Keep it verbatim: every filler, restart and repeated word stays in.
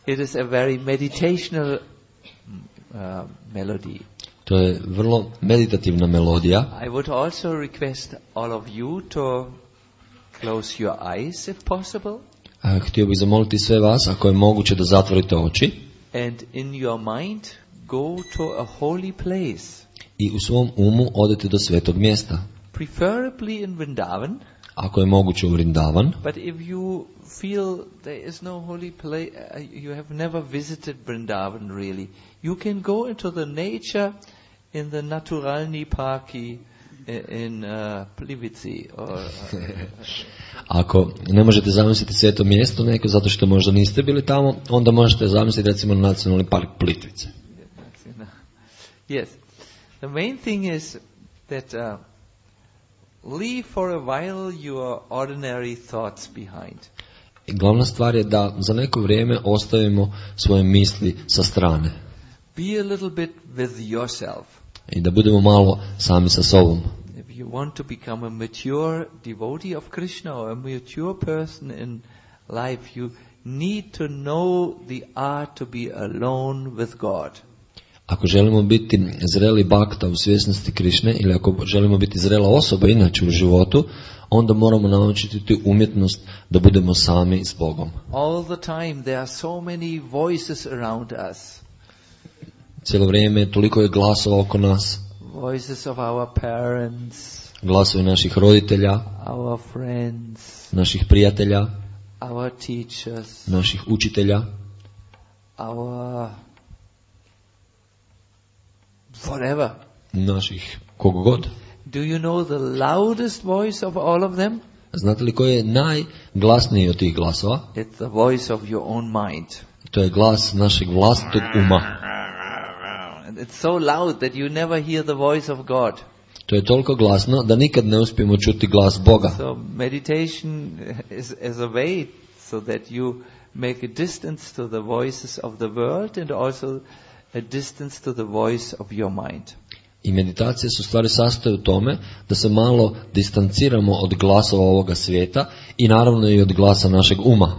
It is a very meditational uh, melody. To je vrlo meditativna melodija. I would also request all of you to close your eyes if possible. A, htio bih zamoliti sve vas, ako je moguće, da zatvorite oči. And in your mind go to a holy place. I u svom umu odete do svetog mjesta. Preferably in Vrindavan. Ako je moguće u Vrindavan. But if you feel there is no holy place, you have never visited Vrindavan really, you can go into the nature in the Naturalni parki in uh, Plivici. Or, uh, Ako ne možete zamisliti sveto mjesto neko zato što možda niste bili tamo, onda možete zamisliti recimo nacionalni park Plitvice. Yes. The main thing is that uh, leave for a while your ordinary thoughts behind. I glavna stvar je da za neko vrijeme ostavimo svoje misli sa strane. Be a little bit with yourself. I da budemo malo sami sa sobom. If you want to become a mature devotee of Krishna or a mature person in life, you need to know the art to be alone with God. Ako želimo biti zreli bakta u svjesnosti Krišne ili ako želimo biti zrela osoba inače u životu, onda moramo naučiti tu umjetnost da budemo sami s Bogom. All the time there are so many voices around us. Cijelo vrijeme toliko je glasova oko nas. Voices of our parents. Glasovi naših roditelja. Our friends. Naših prijatelja. Our teachers. Naših učitelja. Our whatever. Naših kogod. Do you know the loudest voice of all of them? Znate li koji je najglasniji od tih glasova? It's the voice of your own mind. To je glas našeg vlastitog uma. It's so loud that you never hear the voice of God. To je toliko glasno da nikad ne uspijemo čuti glas Boga. So meditation is as a way so that you make a distance to the voices of the world and also a distance to the voice of your mind. I meditacije su stvari sastoje u tome da se malo distanciramo od glasova ovoga svijeta i naravno i od glasa našeg uma.